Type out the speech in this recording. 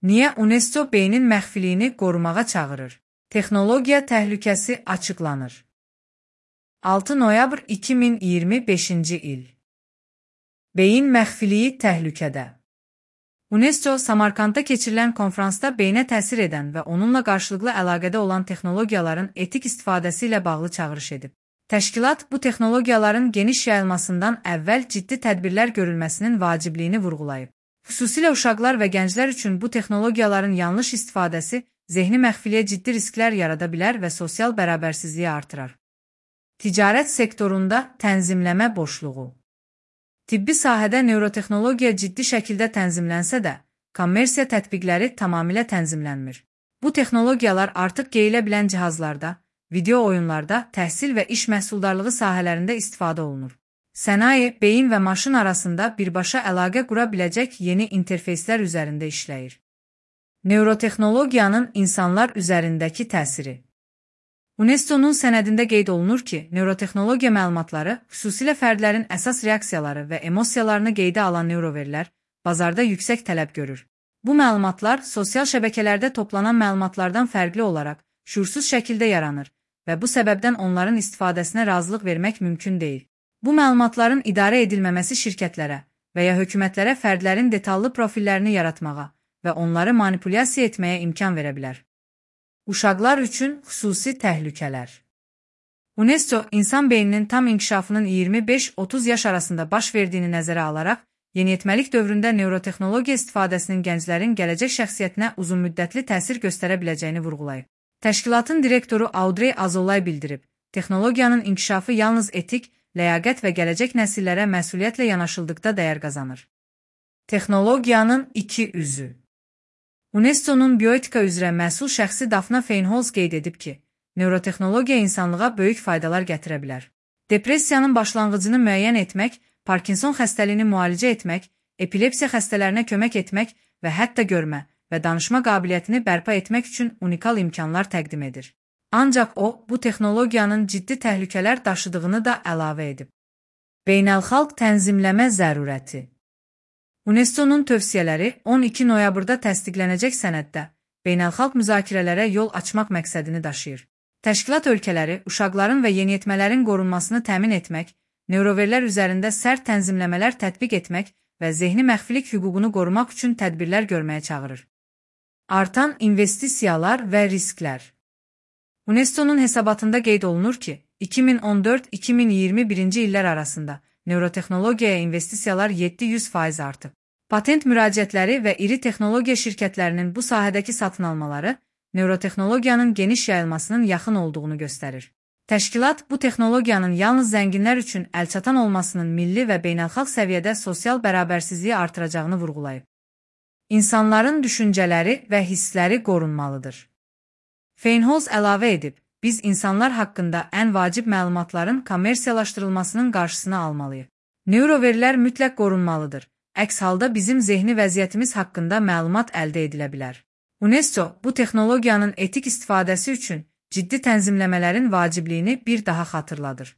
Niyə UNESCO beynin məxfiliyini qorumağa çağırır? Texnologiya təhlükəsi açıqlanır. 6 noyabr 2025-ci il. Beyin məxfiliyi təhlükədə. UNESCO Samarkandda keçirilən konfransda beyinə təsir edən və onunla qarşılıqlı əlaqədə olan texnologiyaların etik istifadəsi ilə bağlı çağırış edib. Təşkilat bu texnologiyaların geniş yayılmasından əvvəl ciddi tədbirlər görülməsinin vacibliyini vurğulayıb. Xüsusilə uşaqlar və gənclər üçün bu texnologiyaların yanlış istifadəsi zehni məxfiliyə ciddi risklər yarada bilər və sosial bərabərsizliyi artırar. Ticarət sektorunda tənzimləmə boşluğu. Tibbi sahədə neurotexnologiya ciddi şəkildə tənzimlənsə də, kommersiya tətbiqləri tamamilə tənzimlənmir. Bu texnologiyalar artıq geyilə bilən cihazlarda, video oyunlarda, təhsil və iş məhsuldarlığı sahələrində istifadə olunur. Sənaye, beyin və maşın arasında birbaşa əlaqə qura biləcək yeni interfeyslər üzərində işləyir. Neurotexnologiyanın insanlar üzərindəki təsiri. UNESCO-nun sənədində qeyd olunur ki, neurotexnologiya məlumatları, xüsusilə fərdlərin əsas reaksiyaları və emosiyalarını qeydə alan neuroverlər, bazarda yüksək tələb görür. Bu məlumatlar sosial şəbəkələrdə toplanan məlumatlardan fərqli olaraq, şüursuz şəkildə yaranır və bu səbəbdən onların istifadəsinə razılıq vermək mümkün deyil. Bu məlumatların idarə edilməməsi şirkətlərə və ya hökumətlərə fərdlərin detallı profillərini yaratmağa və onları manipulyasiya etməyə imkan verə bilər. Uşaqlar üçün xüsusi təhlükələr. UNESCO, insan beyninin tam inkişafının 25-30 yaş arasında baş verdiyini nəzərə alaraq, yeniyetməlik dövründə neurotexnologiya istifadəsinin gənclərin gələcək şəxsiyyətinə uzunmüddətli təsir göstərə biləcəyini vurğulayıb. Təşkilatın direktoru Audrey Azoulay bildirib, texnologiyanın inkişafı yalnız etik, ləyaqət və gələcək nəsillərə məsuliyyətlə yanaşıldıqda dəyər qazanır. Texnologiyanın iki üzü. UNESCO-nun bioetika üzrə məsul şəxsi Daphna Feinholz qeyd edib ki, neurotexnologiya insanlığa böyük faydalar gətirə bilər. Depressiyanın başlanğıcını müəyyən etmək, Parkinson xəstəliyini müalicə etmək, epilepsiya xəstələrinə kömək etmək və hətta görmə və danışma qabiliyyətini bərpa etmək üçün unikal imkanlar təqdim edir. Ancaq o, bu texnologiyanın ciddi təhlükələr daşıdığını da əlavə edib. Beynəlxalq tənzimləmə zərurəti. UNESCO-nun tövsiyələri 12 noyabrda təsdiqlənəcək sənəddə beynəlxalq müzakirələrə yol açmaq məqsədini daşıyır. Təşkilat ölkələri uşaqların və yeniyetmələrin qorunmasını təmin etmək, neuroverlər üzərində sərt tənzimləmələr tətbiq etmək və zehni məxfilik hüququnu qorumaq üçün tədbirlər görməyə çağırır. Artan investisiyalar və risklər. UNESCO-nun hesabatında qeyd olunur ki, 2014-2021-ci illər arasında neurotexnologiyaya investisiyalar 700% artıb. Patent müraciətləri və iri texnologiya şirkətlərinin bu sahədəki satın almaları neurotexnologiyanın geniş yayılmasının yaxın olduğunu göstərir. Təşkilat bu texnologiyanın yalnız zənginlər üçün əlçatan olmasının milli və beynəlxalq səviyyədə sosial bərabərsizliyi artıracağını vurğulayıb. İnsanların düşüncələri və hissləri qorunmalıdır. Feinholz əlavə edib, biz insanlar haqqında ən vacib məlumatların kommersiyalaşdırılmasının qarşısını almalıyıq. Neuroverlər mütləq qorunmalıdır. Əks halda bizim zehni vəziyyətimiz haqqında məlumat əldə edilə bilər. UNESCO bu texnologiyanın etik istifadəsi üçün ciddi tənzimləmələrin vacibliyini bir daha xatırladır.